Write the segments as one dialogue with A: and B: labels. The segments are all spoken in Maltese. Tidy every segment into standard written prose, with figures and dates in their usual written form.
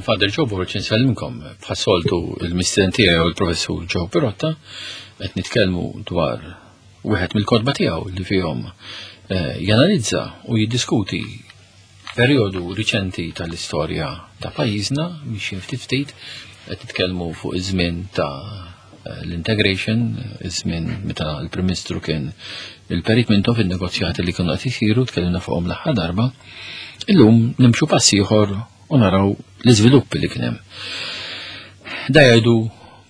A: Father Joe Borg insellimkom bħas-soltu il-mistieden tiegħi u l-professur Joe Pirotta qed nitkellmu dwar wieħed mill-kotba tiegħu li fihom eh, janalizza u jiddiskuti perjodu riċenti tal-istorja ta' pajjiżna mixjin ftit ftit qed nitkellmu fuq iż-żmien ta' eh, l-integration, iż-żmien meta l-Prim Ministru kien il-Perit Mintoff in-negozjati li kienu qed isiru tkellimna fuqhom l-aħħar darba. Illum nimxu pass ieħor u naraw l-iżviluppi li kien hemm. Da jgħidu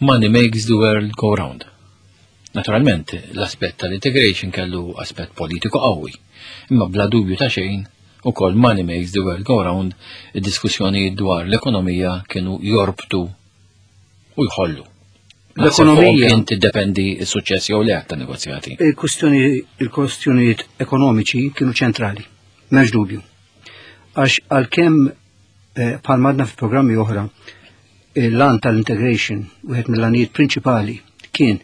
A: money makes the world go round. Naturalment, l-aspett tal-integration kellu aspett politiku qawwi, imma bla dubju ta' xejn ukoll money makes the world go round, id-diskussjonijiet dwar l-ekonomija kienu jorbtu u jħollu.
B: L-ekonomija
A: kien tiddependi s-suċċess jew le ta' negozjati.
B: Il-kwestjonijiet ekonomiċi kienu ċentrali, m'hemmx dubju. Għax għalkemm eh, bħal madna fi programmi oħra, l-għan tal-integration, wieħed mill-għanijiet prinċipali kien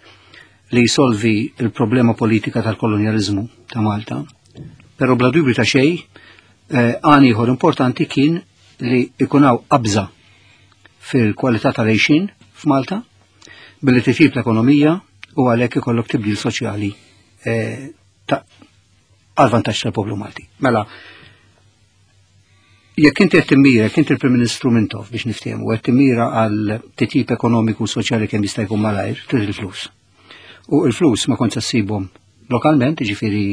B: li jisolvi il-problema politika tal-kolonjalizmu ta' Malta. Però bla dubju ta' xejn, eh, għan ieħor importanti kien li ikunaw qabża fil-kwalità tal-għejxin f'Malta billi titjib l-ekonomija u għalhekk ikollok tibdil soċjali eh, għal vantaġġ tal-poplu Malti. Mela, jekk inti qed timmira, jekk inti l-Prim Ministru Mintoff biex niftehmu, qed timmira għal titjib ekonomiku u soċjali kemm jista' jkun malajr, trid il-flus. U l-flus ma kontx ssibhom lokalment, jiġifieri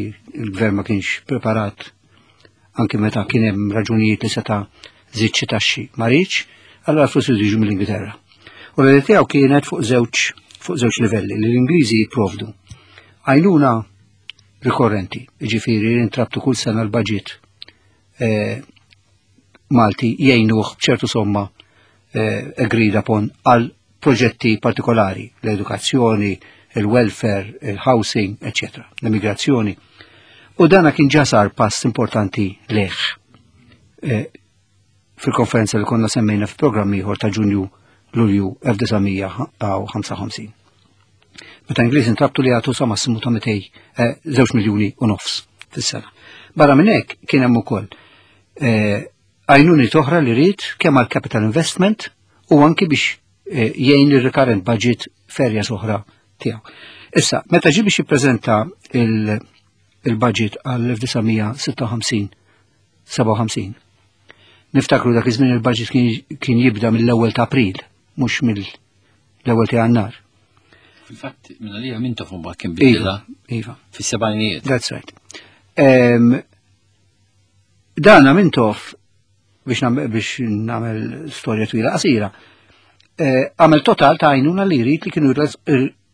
B: l-gvern ma kienx preparat anki meta kien hemm raġunijiet li seta' żied xi taxxi ma riedx, allura l-flus iridu jiġu mill-Ingilterra. U l-idea tiegħu kienet fuq żewġ fuq żewġ livelli li l-Ingliżi jipprovdu. Għajnuna rikorrenti, jiġifieri intrabtu kull sena l-budget eh, Malti jgħinuh b'ċertu somma eh, agreed upon għal proġetti partikolari, l-edukazzjoni, il-welfare, il-housing, etc., l-immigrazzjoni. U dana kien ġa sar pass importanti leħ eh, fil-konferenza li konna semmejna f'programm ieħor ta' Ġunju Lulju 1955. Meta Ingliż intrabtu li jagħtu sa massimu ta' 200 eh, żewġ miljuni u nofs fis-sena. Barra minn hekk kien hemm ukoll eh, għajnuniet oħra li ried kemm għal capital investment u anki biex eh, jgħin il-recurrent budget f'areas oħra tiegħu. Issa, meta ġie biex jippreżenta il-budget għal 1956 57. Niftakru dak iż-żmien il-budget kien jibda mill-ewwel ta' April, mhux mill-ewwel ta' Jannar.
A: Fil-fatt, minn għalija minn tofum kien bidla.
B: Iva.
A: Fis-sebgħinijiet.
B: That's right. Dana Mintoff biex biex nagħmel storja twila qasira. Eh, għamel total ta' għajnuna li jrid li kienu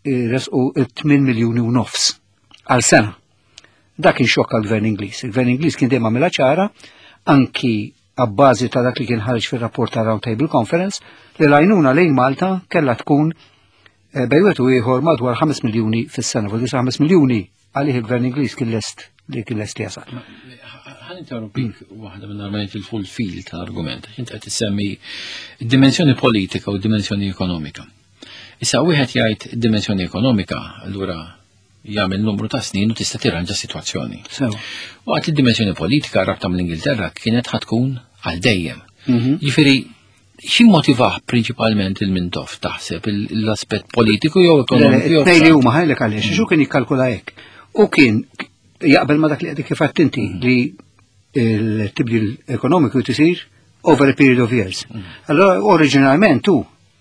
B: jresqu 8 miljuni u nofs għal sena. Dak kien xokk għal-gvern Ingliż. Il-gvern Ingliż kien dejjem għamilha ċara anki għabbażi ta' dak li kien ħareġ fir-rapport ta' Round Table Conference li l-għajnuna lejn Malta kellha tkun eh, bejn wieħed u ieħor madwar 5 miljuni fis-sena, fuq 5 miljuni għalih il-gvern Ingliż kien lest li kien lest jasal.
A: Ħa ninterrompik waħda minn argument il-full fil tal-argument. Inti qed issemmi dimensjoni politika u dimensjoni ekonomika. Issa wieħed jgħid dimensjoni ekonomika, allura jagħmel numru ta' snin u tista' tirranġa sitwazzjoni. U għat id-dimensjoni politika rabta mill-Ingilterra kienet ħatkun għal dejjem. Mhm. Jiġifieri xi motivah prinċipalment il-Mintoff taħseb l-aspett politiku jew ekonomiku?
B: Tnej li huma ħajlek għaliex, xu kien jikkalkula hekk. U kien jaqbel ma dak li qed kif inti mm. li il-tibdil ekonomiku tisir over a period of years. Mm. Allora oriġinalment tu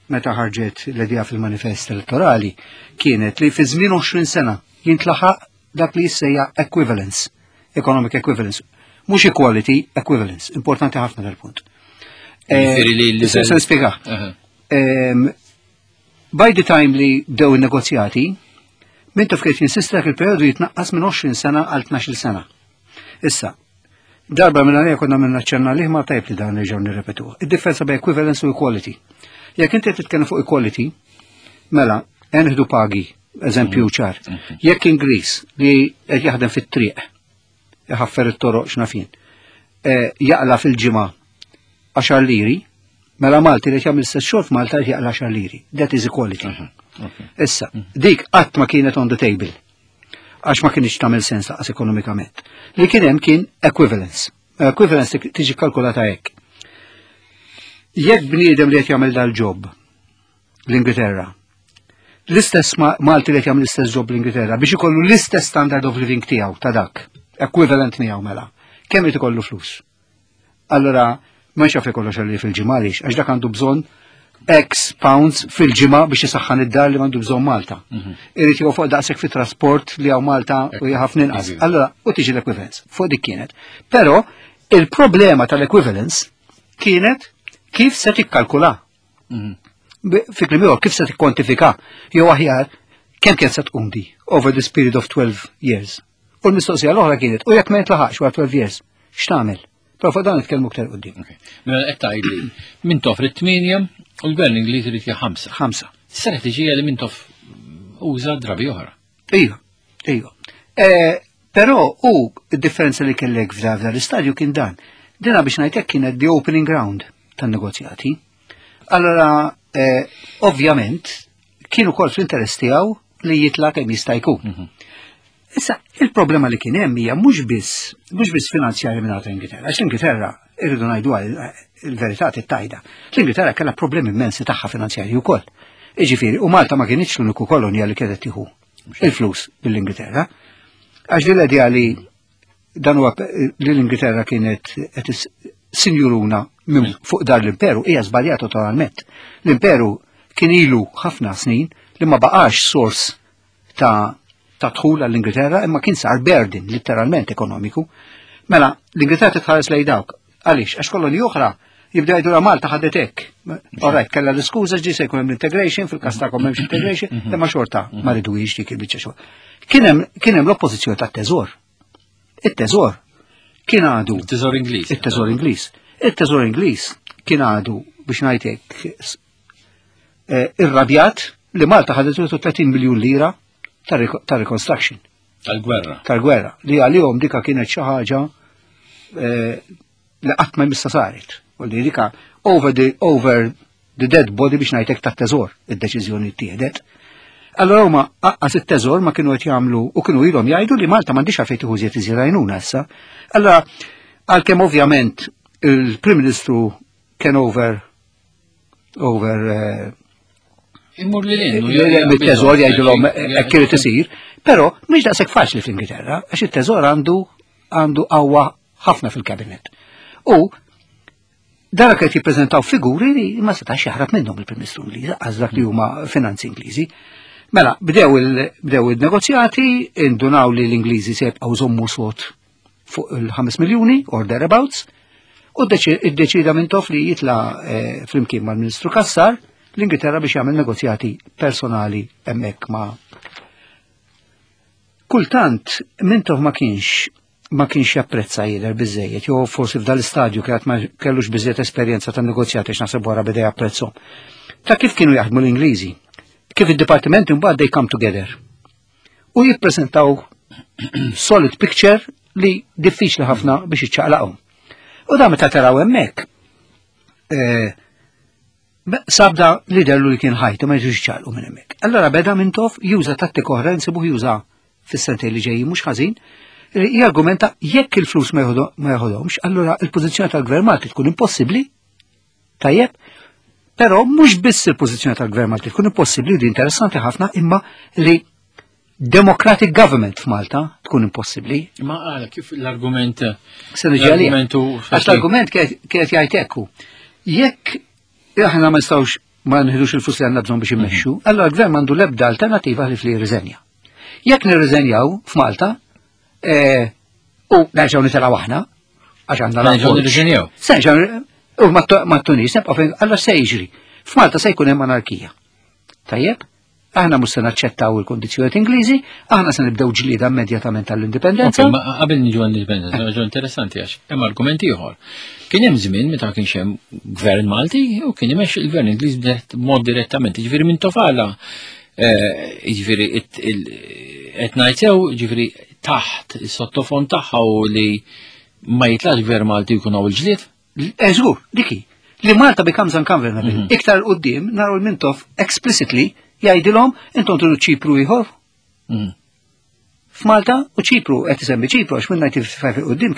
B: meta ħarġet l-idea fil-manifest elettorali kienet li fi żmien 20 sena jintlaħaq dak li jissejja equivalence, economic equivalence. Mhux equality, equivalence. Importanti ħafna dal-punt.
A: Eh,
B: se nispjega. By the time li bdew il-negozjati, Mintoff kien jinsista il-periodu jitnaqqas minn 20 sena għal 12 sena. Issa, darba minn għalija konna minna ċenna liħ ma tajb li dan nerġgħu nirrepetu. Id-differenza bejn equivalence u equality. Jekk inti titkellem fuq equality, mela, enħdu pagi, eżempju mm. ċar. Mm-hmm. Jekk Ingliż li qed jaħdem fit-triq, iħaffer it-toroq x'nafin, eh, jaqla fil-ġimgħa 10 liri, mela Malti li jagħmel stess xogħol f'Malta jaqla 10 liri. That is equality. Mm-hmm. Issa, mm-hmm. dik qatt ma kienet on the table għax ma kienx tagħmel sens laqas ekonomikament. Li kien hemm kien equivalence. Equivalence tiġi kalkulata hekk. Jekk bniedem li qed jagħmel dal-job l-Ingilterra, l-istess Malti li qed jagħmel l-istess job l-Ingilterra biex ikollu l-istess standard of living tiegħu ta' dak, equivalent miegħu mela, kemm irid ikollu flus? Allora, ma xaf ikollu xalli fil-ġimgħa għaliex, għax dak għandu bżonn X pounds fil-ġimgħa biex isaħħan id-dar li m'għandu bżonn Malta. Irid jew fuq daqshekk fit-trasport li hawn Malta u ħafna inqas. Allora, u tiġi l-equivalence. Fuq dik kienet. Però il-problema tal-equivalence kienet kif se tikkalkula. Fi kliem ieħor, kif se tikkwantifika jew aħjar kemm kien se tqum di over this period of 12 years. U l-mistoqsija l-oħra kienet, u jekk ma jintlaħaqx wara 12 years, x'tagħmel? Però fuq dan nitkellmu aktar quddiem.
A: Mela qed tgħidli Mintoff irid 8 u l-gvern Ingliż irid 5.
B: 5.
A: Strateġija li Mintoff uża drabi oħra.
B: Iva, iva. Però u d-differenza li kellek f'dan l-istadju kien dan. Dina biex ngħidlek kienet the opening round tan-negozjati. Allora, ovvjament, kienu kol fl-interess tiegħu li jitla' kemm jista' jkun. Issa, il-problema li kien hemm hija mhux biss finanzjarja minn Ingilterra, għax Ingilterra irridu ngħidu il-verità tittajda. L-Ingilterra kellha problemi immensi tagħha finanzjarji wkoll. Iġifieri, u Malta ma kienx l-uniku kolonja li kienet tieħu il-flus mill-Ingilterra. Għax din l-idea li dan huwa li l-Ingilterra kienet qed sinjuruna minn fuq dar l-imperu hija żbaljata totalment. L-imperu kien ilu ħafna snin li ma baqax sors ta' dħul għall-Ingilterra imma kien sar burden letteralment ekonomiku. Mela, l-Ingilterra titħares lej dawk. Għaliex, għax koloni oħra jibda jgħidu la Malta ħadet hekk. Alright, kellha l-iskuża ġi se jkun hemm integration, fil-każ tagħkom m'hemmx integration, imma xorta ma ridux dik il-biċċa xogħol. Kien hemm l-oppożizzjoni tat-teżor. It-teżor kien għadu.
A: Il-teżor Ingliż.
B: Il-teżor Ingliż. Il-teżor Ingliż kien għadu biex ngħidlek irrabjat li Malta ħadet 30 miljun lira ta' reconstruction.
A: Tal-gwerra.
B: Tal-gwerra. Li għalihom dika kienet xi ħaġa li qatt ma jmissa saret. U li dika over the dead body biex ngħidlek tat-teżor id-deċiżjoni ttieħdet. Allora huma aqqas it-teżor ma kienu qed jagħmlu u kienu ilhom jgħidu li Malta m'għandix għalfejn tieħu iżjed iżjed għajnuna issa. Allora għalkemm ovvjament il-Prim Ministru kien over
A: Immur li l
B: mit-teżor jgħidulhom hekk irid isir, però mhix daqshekk faċli fl-Ingilterra għax it-teżor għandu qawwa ħafna fil-kabinet. U dara qed jippreżentaw figuri li ma setax jaħrab minnhom il-Prim Ministru Ingliż, għax dak li huma finanzi Ingliżi. Mela, bdew il-negozjati, indunaw li l-Ingliżi se jibqgħu jżommu sod fuq il-5 miljuni or thereabouts, u iddeċida Mintoff li jitla flimkien mal-Ministru Cassar l-Ingilterra biex jagħmel negozjati personali hemmhekk ma' Kultant Mintoff ma kienx japprezza jidher biżejjed, jew forsi f'dal istadju kienet ma kellux biżejjed esperjenza ta' negozjati x'naħseb wara beda japprezzhom. Ta' kif kienu jaħdmu l-Ingliżi, kif id-dipartimenti mbagħad they come together. U jippreżentaw solid picture li diffiċli ħafna biex iċċaqlaqhom. U da meta taraw hemmhekk, sabda li dellu li kien ħajtu ma jiġux ċaqlqu minn hemmhekk. Allora beda Mintoff juża tattika oħra nsibuh juża fis-sentejn li ġejjin mhux ħażin, jargumenta jekk il-flus ma jeħodhomx, allura il-pożizzjoni tal-Gvern Malti tkun impossibbli. Tajjeb, però mhux biss il-pożizzjoni tal-Gvern Malti tkun impossibbli, di interessanti ħafna, imma li democratic government f'Malta tkun impossibbli.
A: Ma għala kif l-argument
B: Se niġi għalih. Għax l-argument kienet jgħid ekku. Jekk aħna ma nistgħux ma nħidux il-flus li għandna bżonn biex immexxu, allora l-gvern m'għandu l-ebda alternativa li fli jirriżenja. Jekk nirriżenjaw f'Malta, u nerġgħu nitilgħu aħna, għax għandna
A: Nerġgħu nirriżenjaw.
B: Se nerġgħu u mat-Tunis nibqgħu fejn allora se jiġri. F'Malta se jkun hemm anarkija. Tajjeb? Aħna mhux se naċċettaw il-kondizzjonijiet Ingliżi, aħna se nibdew ġlieda immedjatament tal-indipendenza.
A: Ma qabel niġu għall-indipendenza, ġo interessanti għax hemm argument ieħor. Kien hemm żmien meta kienx hemm gvern Malti u kien imexxi il-gvern Ingliż mod direttament, jiġifieri minn tofala, jiġifieri qed ngħid sew, jiġifieri taħt is-sottofond tagħha u li ma jitlax gvern Malti jkun hawn il-ġlied.
B: Eżgur, diki. Li Malta becomes ungovernable. Iktar quddiem naraw il-Mintoff explicitly jgħidilhom intom tridu Ċipru ieħor. F'Malta u Ċipru qed isemmi Ċipru għax minn 1955 quddiem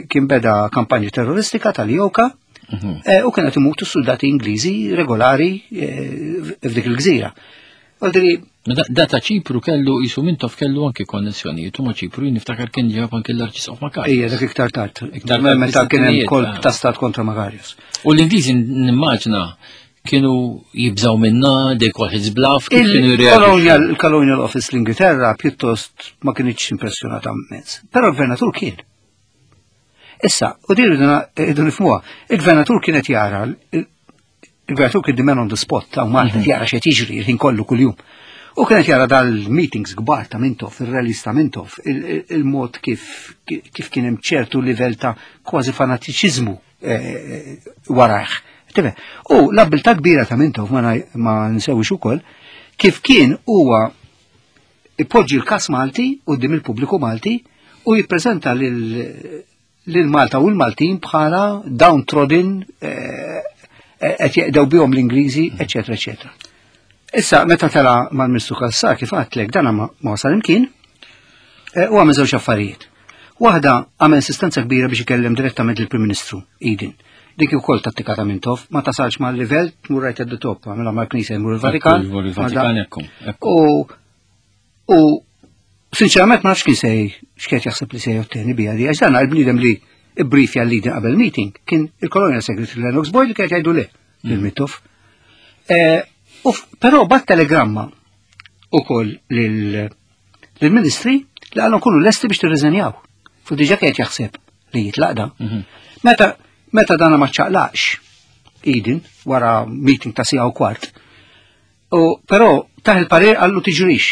B: kien beda kampanji terroristika tal-EOKA. U kienet imutu soldati Ingliżi regolari f'dik il-gżira. Għaldiri.
A: Da ta' Ċipru kellu jisu Mintoff kellu anke konnessjonijiet u ma' Ċipru niftakar kien ġab anke l-Arċisqof Makarios.
B: Ejja, dak iktar tard. Iktar tard. Meta kien hemm kolp ta' stat kontra Makarios.
A: U l-Ingliżi nimmaġna kienu jibżaw minna, they call his bluff,
B: kif kienu jirreaġixxu. Il-Colonial Office l-Ingilterra pjuttost ma kienx impressjonata mezz. Però l-gvernatur kien. Issa, u din irridu nifhmuha, il-gvernatur kienet jara il-gvernatur kien the man on the spot ta' Malta jara x'qed jiġri il-ħin kollu kuljum. U kienet jara dal-meetings kbar ta' Mintoff, il-rallies ta' Mintoff, il-mod kif kif kien hemm ċertu livell ta' kważi fanatiċiżmu warajh. U l-abbiltà kbira ta' Mintoff ma nsewix ukoll kif kien huwa ipoġġi l-kas Malti quddiem il-pubbliku Malti u jippreżenta lil Malta u l-Maltin bħala downtrodden, qed jeqdew bihom l-Ingliżi, eċetera, eċetera. Issa, meta tela mal-Ministru Cassar, kif għedtlek, dana ma wasal imkien, u għamel żewġ affarijiet. Waħda għamel insistenza kbira biex ikellem direttament il-Prim Ministru, Eden. Dik ukoll tattika ta' Mintoff, ma tasalx mal-livell, tmur right at the top, għamilha mal-Knisja jmur il-Vatikan.
A: Jmur il-Vatikan, ekku.
B: U sinċerament ma nafx kien sej, x'kiet jaħseb li se jotteni bija di, għax dan il-bniedem li briefja l-Eden qabel meeting kien il-Colonial Secretary Lennox Boyd li kien jgħidu le lil Mintoff. Però bat telegramma ukoll lill-ministri li għallhom kunu lesti biex tirriżenjaw. Fu diġà kien jaħseb li jitlaqda. Meta dana ma ċaqlaqx Eden wara meeting ta' siegħa u kwart, u però taħ il-parir għallu tiġrix.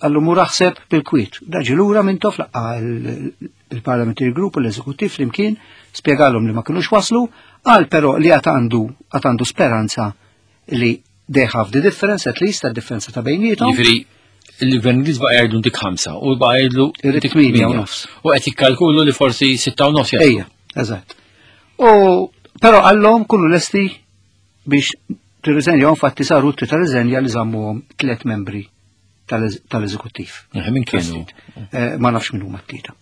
B: Għallu mur aħseb bil-kwiet. Daġi lura Mintoff laqqa il-Parliamentary Group u l-Eżekuttiv flimkien, spjegalhom li ma kinux waslu, qal però li għad għandu speranza li they have the difference, at least, differenza ta' bejnietom.
A: Jiġifieri, il-Gvern Ingliż baqa' jgħidlu dik 5 u baqa' jgħidlu
B: dik 8 u nofs.
A: U qed jikkalkulu li forsi 6 u nofs
B: jaslu. Ejja, eżatt. U però għallhom kunu lesti biex tirriżenjaw, infatti saru ta' riżenja li żammuhom 3 membri tal-eżekuttiv.
A: Min kienu?
B: Ma nafx min huma t-tlieta.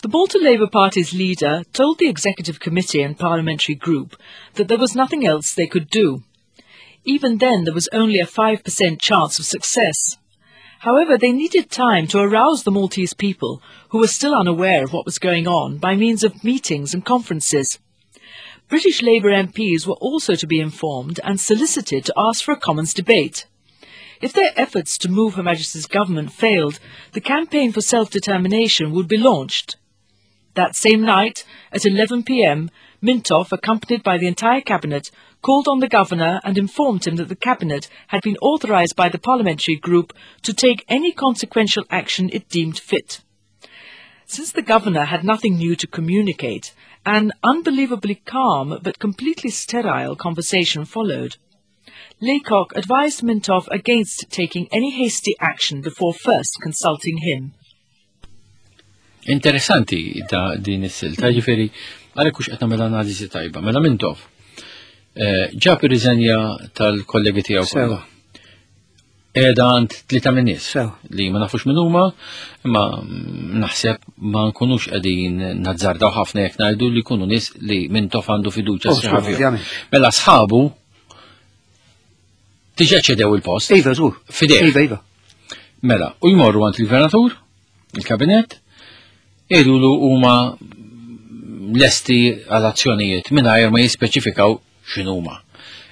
C: The Malta Labour Party's leader told the Executive Committee and Parliamentary Group that there was nothing else they could do. Even then, there was only a 5% chance of success. However, they needed time to arouse the Maltese people, who were still unaware of what was going on, by means of meetings and conferences. British Labour MPs were also to be informed and solicited to ask for a Commons debate. If their efforts to move Her Majesty's government failed, the campaign for self-determination would be launched. That same night, at 11 p.m., Mintoff, accompanied by the entire cabinet, called on the governor and informed him that the cabinet had been authorised by the parliamentary group to take any consequential action it deemed fit. Since the governor had nothing new to communicate, an unbelievably calm but completely sterile conversation followed. Laycock advised Mintoff against taking any hasty action before first consulting him.
A: Interessanti da din is-silta, ġifieri għalhekk hux qed nagħmel analiżi tajba. Mela Mintoff ġab ir-riżenja tal-kollegi tiegħu kollha. Qiegħda għand 3 minn nies li ma nafux min huma, imma naħseb ma nkunux qegħdin nazzardaw ħafna jekk ngħidu li jkunu nies li Mintoff għandu fiduċja
B: Oh,
A: sħiħa fihom.
B: ovvjament.
A: Mela sħabu diġà ċedew il-post.
B: Iva, żgur.
A: Fidejh.
B: Iva, iva.
A: Mela, u jmorru għand il-gvernatur, il-kabinet, jgħidulu huma lesti għal azzjonijiet mingħajr ma jispeċifikaw x'inhuma.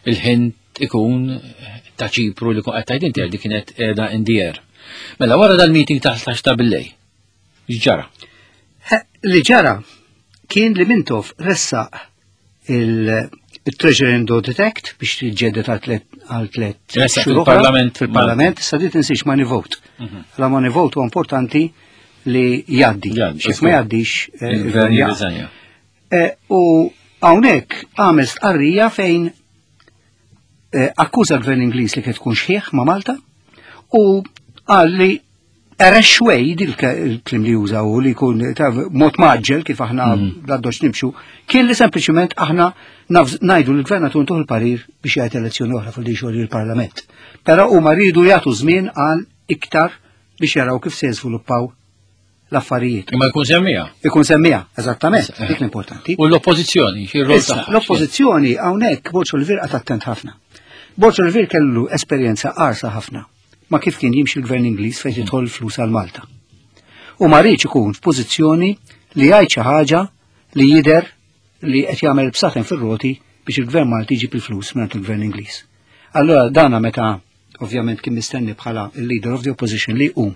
A: Il-ħin ikun ta' Ċipru li kun qed tgħid inti li kienet qiegħda in the air. Mela wara dal-meeting ta' 11 ta' billej. X'ġara?
B: Li ġara kien li Mintoff ressaq il-Treasury and Audit Act biex tiġġedded għal tliet
A: Ressaq
B: xhur oħra.
A: fil-Parlament.
B: Fil-Parlament, issa di tinsiex money vote. La money vote huwa importanti li jgħaddi.
A: Jgħaddi,
B: Xif ma jgħaddix,
A: Il-gvern
B: il-gvern jaqa'.
A: jirriżenja.
B: U hawnhekk għamel stqarrija fejn akkuża l-gvern Ingliż li kien tkun xħieħ ma' Malta u qal li Erexwej, il-klim li juża u li jkun ta' mod maġġel kif aħna bl-addoċ nimxu, kien li sempliċiment aħna ngħidu l-gvernatur ntuħ il-parir biex jgħid elezzjoni oħra fuq li xogħol il-Parlament. Però huma rridu jagħtu żmien għal iktar biex jaraw kif se jiżviluppaw l-affarijiet.
A: Imma jkun semmija.
B: Ikun semmija, eżattament, dik l-importanti.
A: U l-oppożizzjoni, xi rol tagħha?
B: L-oppożizzjoni hawnhekk Borg Olivier qagħad attent ħafna. Borg Olivier kellu esperjenza qarsa ħafna ma kif kien jimxi l-gvern Ingliż fejn tidħol flus għal Malta. U ma riedx ikun f'pożizzjoni li jgħid xi ħaġa li jidher li qed jagħmel bsaten fir-roti biex il-gvern Malti jġib il-flus mingħand il-gvern Ingliż. Allora dana meta ovvjament kien mistenni bħala il-leader of the opposition li jqum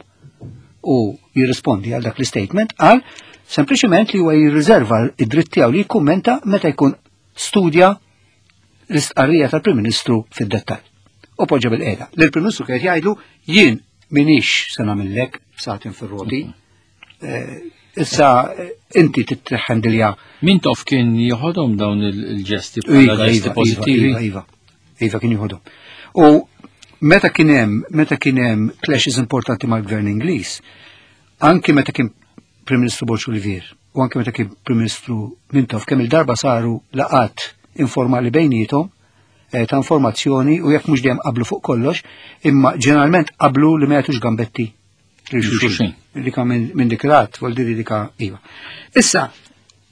B: u jirrispondi għal dak l-statement qal sempliċement li huwa jirriserva id-dritt tiegħu li jikkummenta meta jkun studja l-istqarrija tal-Prim Ministru fid-dettall. U poġġa bil-qiegħda. L-Prim Ministru kien jgħidlu jien minix se nagħmillek bsaten fir-roti. Issa inti titħendilja.
A: Mintoff kien joħodhom dawn il-ġesti bħala
B: Iva,
A: ġesti
B: iva,
A: pożittivi.
B: Iva, iva, iva kien joħodhom. U meta kien hemm meta kien hemm clashes importanti mal-Gvern Ingliż, anki meta kien Prim Ministru Borg Olivier u anki meta kien Prim Ministru Mintoff kemm il-darba saru laqat informali bejniethom ta' informazzjoni u jekk mhux dejjem qablu fuq kollox, imma ġeneralment qablu li ma jagħtux gambetti lil xulxin. Dika minn dik rat, vuol dire dika iva. Issa,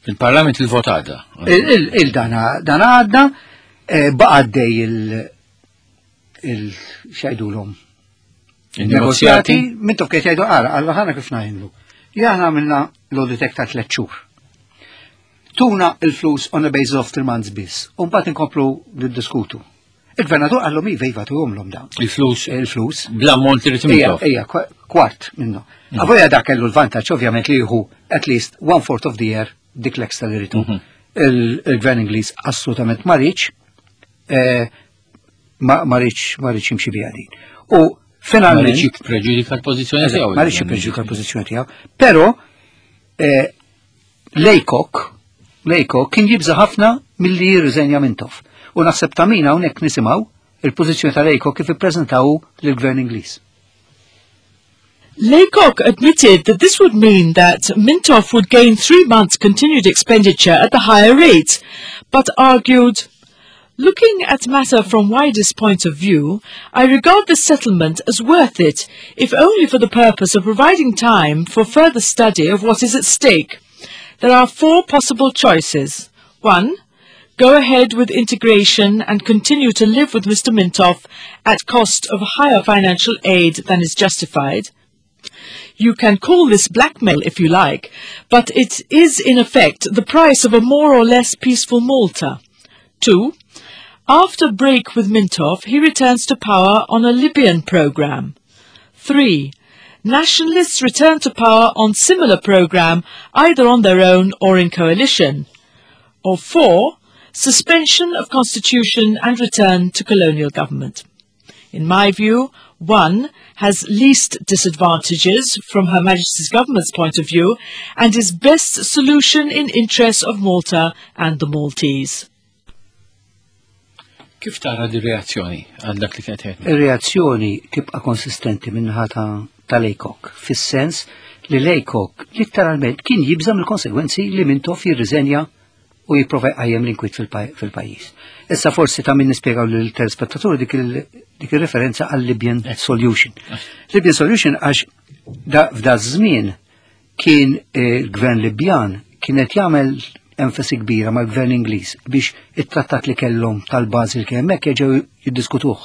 A: Il-Parlament il-vot għadda.
B: Il-dana dana għadda, baqa' għaddej il x'jgħidulhom.
A: Il-negozjati.
B: Mintoff kien jgħidu ara, alla ħana kif ngħidlu. Aħna għamilna l-audit ta' 3 xhur. Tuna il-flus on a basis of 3 months biss. U mbagħad inkomplu niddiskutu. Il-gvernatur qallhom iva, iva, tuhomlhom dawn.
A: Il-flus.
B: Il-flus.
A: Bl-ammont li
B: Ija,
A: Mintoff.
B: ija, kwart minnu. Avolja dak kellu l-vantaġġ ovvjament li jieħu at least one fourth of the year dik l-extra li ritu. Il-gvern Ingliż assolutament ma riedx, ma riedx, ma riedx jimxi biha din. U finalment
A: Ma riedx jippreġudika l-pożizzjoni tiegħu.
B: Ma riedx jippreġudika l-pożizzjoni tiegħu. Però Lejkok kien jibża ħafna milli jirriżenja Mintoff. U naħseb ta' min hawnhekk nisimgħu il-pożizzjoni ta' Laycock kif ippreżentaw lill-gvern Ingliż.
C: Laycock admitted that this would mean that Mintoff would gain 3 months continued expenditure at the higher rate, but argued, looking at matter from widest point of view, I regard this settlement as worth it, if only for the purpose of providing time for further study of what is at stake. There are 4 possible choices. 1. Go ahead with integration and continue to live with Mr. Mintoff at cost of higher financial aid than is justified. You can call this blackmail if you like, but it is in effect the price of a more or less peaceful Malta. 2. After break with Mintoff, he returns to power on a Libyan program. 3. Nationalists return to power on similar program, either on their own or in coalition. Or 4. Suspension of constitution and return to colonial government. In my view, 1 has least disadvantages from Her Majesty's government's point of view and is best solution in interest of Malta and the Maltese.
A: Kif tara di reazzjoni għal dak li kienet jgħid?
B: Ir-reazzjoni tibqa' konsistenti minnaħa ta' Laycock, fis-sens li Laycock literalment kien jibża' mill-konsegwenzi li Mintoff jirriżenja u jipprova jqajjem l-inkwiet fil-pajjiż. Issa forsi ta' min nispjegaw lil telespettaturi dik ir-referenza għal Libyan Solution. Libyan Solution għax f'da żmien kien il-gvern Libjan kienet jagħmel enfasi kbira mal-gvern Ingliż biex it-trattat li kellhom tal-bażi li kien hemmhekk jerġgħu jiddiskutuh.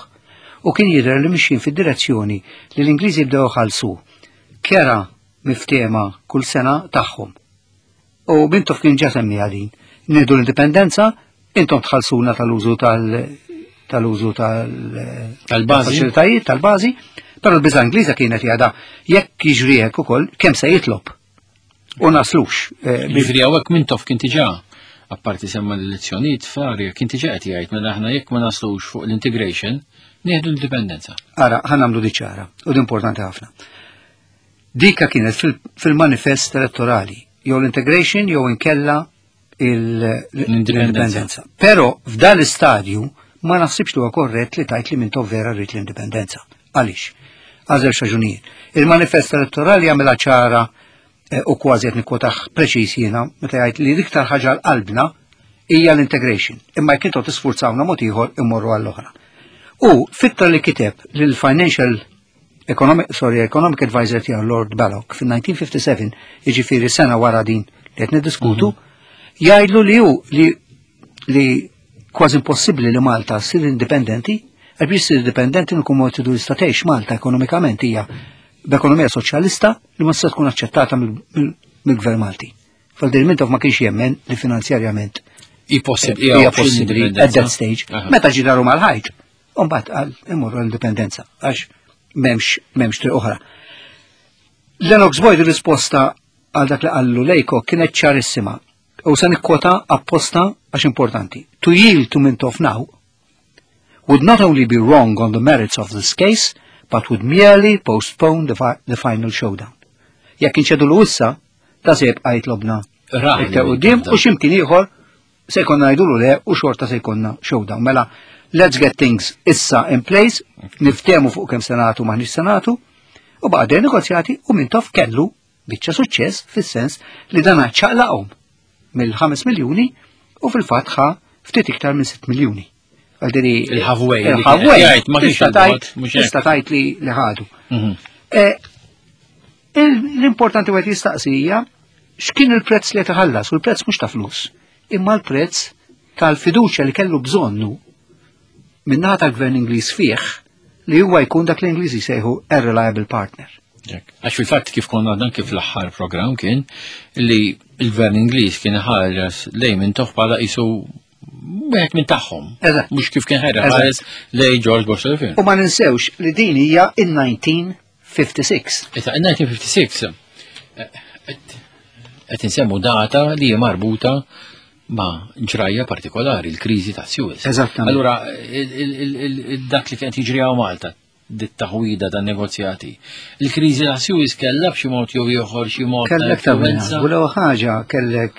B: U kien jidher li mixjin fid-direzzjoni li l-Ingliżi jibdew iħallsu kera miftehma kull sena tagħhom. U Mintoff kien ġa semmiha din. Nieħdu l-indipendenza, intom tħallsuna tal-użu tal-użu
A: Tal-bażi.
B: tal-faċilitajiet, tal-bażi, però l-biża' Ingliża kienet jgħada jekk jiġri hekk ukoll kemm se jitlob. U naslux.
A: Jiġri hawnhekk Mintoff kien diġà, apparti semma l-elezzjonijiet fl-arja, kien diġà qed jgħid mela aħna jekk ma naslux fuq l-integration, nieħdu l-indipendenza.
B: Ara, ħa nagħmlu di ċara, u di importanti ħafna. Dika kienet fil-manifest elettorali, jew l-integration jew inkella
A: L-indipendenza.
B: l-indipendenza. Però f'dan l-istadju ma naħsibx li huwa korrett li tajt li Mintoff vera rrid l-indipendenza. Għaliex? Għal żewġ raġunijiet. Il-manifest elettorali jagħmilha ċara u kważi qed nikkwotah preċiż jiena meta jgħid li l-iktar ħaġa għal qalbna hija l-integration. Imma jekk intom tisfurzawna mod ieħor immorru għall-oħra. U fittra li kiteb lill-Financial Economic, sorry, Economic Advisor tiegħu Lord Ballock fin-1957, jiġifieri sena wara din li qed niddiskutu, jgħidlu li hu li kważi impossibbli li Malta ssir indipendenti, għax biex ssir indipendenti nkun mod tridu tista' tgħix Malta ekonomikament hija b'ekonomija soċjalista li ma tista' tkun aċċettata mill-Gvern Malti. Fal-dir Mintoff ma kienx jemmen li finanzjarjament hija possibbli at that stage. Meta ġie daru mal-ħajt, u mbagħad qal imorru l-indipendenza għax m'hemmx triq oħra. Lennox Boyd risposta għal dak li qallu Lejko kienet ċarissima. U se nikkwota apposta għax importanti. To yield to Mintoff now would not only be wrong on the merits of this case, but would merely postpone the final showdown. Jekk inċedu l issa, ta' se jibqa' jitlobna iktar quddiem u x'imkien ieħor se jkollna ngħidulu le u xorta se jkollna showdown. Mela, let's get things issa in place, niftehmu fuq kemm se nagħtu m'aħniex se nagħtu, u baqa' negozjati u Mintoff kellu biċċa suċċess fis-sens li dan ċaqlaqhom mill-5 miljuni u fil-fatt ħa ftit iktar minn 6 miljuni.
A: Għaldiri il-halfway. Il-halfway,
B: ma kienx tajt, tista' tajt li li ħadu. L-importanti għet jistaqsija x'kien il-prezz li tħallas, u l-prezz mhux ta' flus, imma l-prezz tal-fiduċja li kellu bżonnu min-naħa tal-gvern Ingliż fih li huwa jkun dak l-Ingliżi sejħu a reliable partner.
A: Għax fil-fatt kif konna dan kif l-aħħar program kien li il-gvern Ingliż kien ħares lejn Mintoff bħala qisu wieħed minn tagħhom. Mhux kif kien ħares lejn George Bush.
B: U ma ninsewx li din hija in-1956.
A: Issa in-1956 qed insemmu data li hija marbuta ma' ġrajja partikolari, il-kriżi ta' Suez.
B: Eżattament.
A: Allura, dak li kien jiġri hawn Malta, dit-taħwida ta' negozjati. Il-kriżi ta' Suez kellha b'xi mod jew ieħor xi mod
B: ta' Kellek ta' influenza. U l-ewwel ħaġa kellek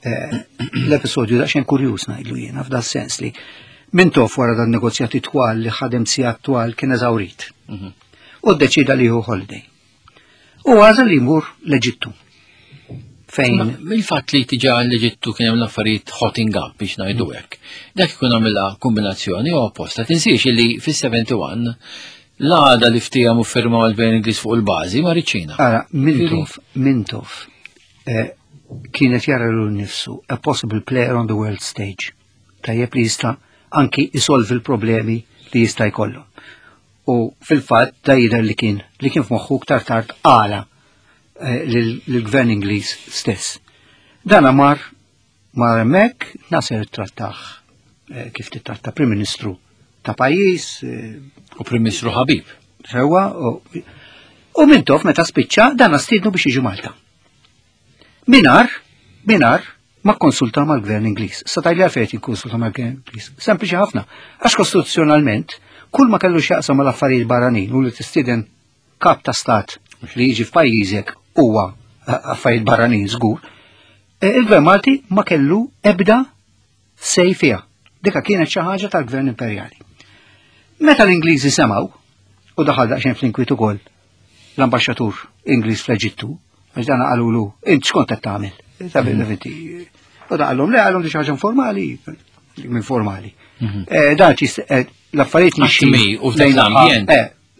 B: l-episodju daqsxejn kurjuż ngħidlu jiena f'da sens li Mintoff wara dan negozjati twal li ħadem sigħat twal kien eżawrit. U ddeċida li jieħu holiday. U għażel li jmur l-Eġittu.
A: Fejn Il-fatt li tiġa l-Eġittu kien hemm l-affarijiet hotting up biex ngħidu hekk. Dak ikun għamilha kombinazzjoni u apposta. Tinsiex li fis-71 l-għada li ftehmu u firmaw il-Gvern Ingliż fuq il-bażi ma riċina.
B: Ara, Mintoff kienet jara l nifsu a possible player on the world stage. Tajjeb li jista' anki isolvi l-problemi li jista' jkollu. U fil-fatt da jidher li kien f'moħħu ktar tard għala lill-gvern Ingliż stess. Dan mar hemmhekk, Nasser trattah kif titratta Prim Ministru ta' pajjiż,
A: U Prim Ministru ħabib.
B: Sewa, u Mintoff meta spiċċa dan stiednu biex jiġi Malta. Minar, ma konsulta mal-gvern Ingliż. Sa tgħidli għalfejn jikkonsulta mal-gvern Ingliż. Sempliċi ħafna. Għax kostituzzjonalment, kull ma kellu x'jaqsam mal-affarijiet barranin u li tistieden kap ta' stat li jiġi f'pajjiżek huwa affarijiet barranin żgur, il-gvern Malti ma kellu ebda say fiha. Dika kienet xi ħaġa tal-gvern imperjali. Meta l-Ingliżi semgħu, u daħal daqsxejn fl-inkwiet ukoll l-ambaxxatur Ingliż fl-Eġittu, għax dan qalulu, int x'kont qed tagħmel? U da qalhom le qalhom di xi ħaġa informali, minn formali. Dan l-affarijiet
A: mixi u f'dak l-ambjent.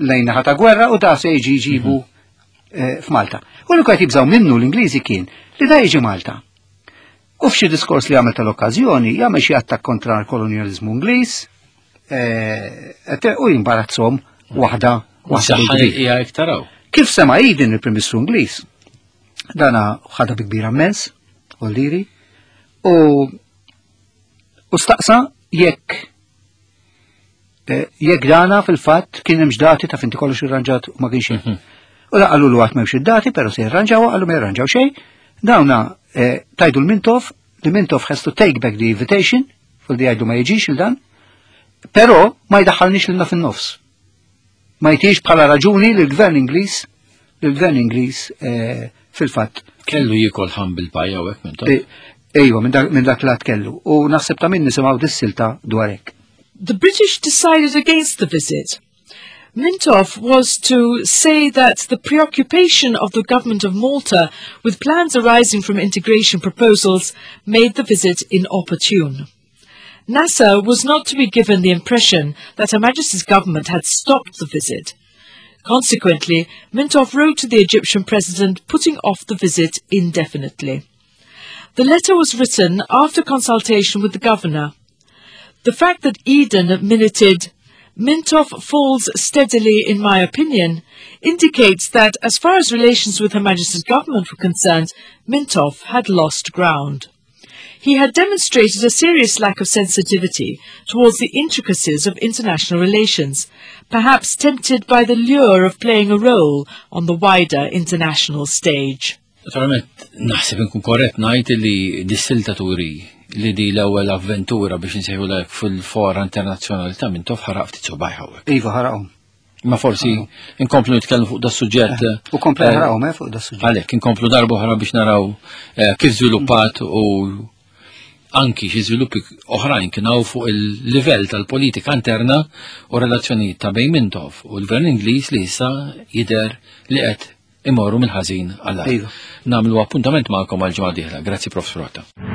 B: Lejn naħa ta' gwerra u da se jiġi jġibu f'Malta. U li qed jibżgħu minnu l-Ingliżi kien li da jiġi Malta. U f'xi diskors li għamel tal-okkażjoni jagħmel xi attakk kontra l-kolonjalizmu Ingliż u jimbarazzhom waħda waħda
A: Saħħa
B: bil-kbir.
A: hija iktar hawn.
B: Kif sema Eden il-Prim Ministru Ingliż, dana ħadha bi kbira immens, Olliri, u staqsa jekk dana fil-fatt kien hemm dati ta' finti kollox irranġat u ma kienx hemm. U da qalulu għad m'hemmx id-dati, però se jirranġaw, qalu ma jirranġaw xejn. Dawna tgħidu l-Mintoff, li Mintoff has to take back the invitation, fil di jgħidu ma jiġix il-dan, però ma jdaħħalniex lilna fin-nofs. Ma jtix bħala raġuni li l-gvern Ingliż, li l-gvern Ingliż fil-fatt.
A: Kellu jiekol humble pie hawnhekk Mintoff.
B: Ejwa, minn dak lat kellu. U naħseb ta' min nisimgħu dis-silta dwar hekk.
C: The British decided against the visit. Mintoff was to say that the preoccupation of the government of Malta with plans arising from integration proposals made the visit inopportune. Nasser was not to be given the impression that Her Majesty's government had stopped the visit. Consequently, Mintoff wrote to the Egyptian president putting off the visit indefinitely. The letter was written after consultation with the governor. The fact that Eden minuted, Mintoff falls steadily in my opinion, indicates that as far as relations with Her Majesty's government were concerned, Mintoff had lost ground. He had demonstrated a serious lack of sensitivity towards the intricacies of international relations, perhaps tempted by the lure of playing a role on the wider international stage.
A: Naturalment, naħseb inkun korrett ngħid li dis-silta turi li di l-ewwel avventura biex insejħu fil-fora internazzjonali ta' Mintoff ħaraq ftit subajh hawnhekk.
B: Iva ħaraqhom.
A: Ma forsi inkomplu nitkellmu fuq da suġġett.
B: Eh, u komplu eh, ħaraqhom eh, fuq da suġġett.
A: Għalhekk inkomplu darba oħra biex naraw kif żviluppat u anki xi żviluppi oħrajn kien hawn fuq il-livell tal-politika interna u relazzjonijiet ta' bejn Mintoff u l-Gvern Ingliż li issa jidher li qed imorru mill-ħażin għal. Iva. Nagħmlu appuntament magħkom għal ġimgħa dieħla. Grazzi Prof. Rotta.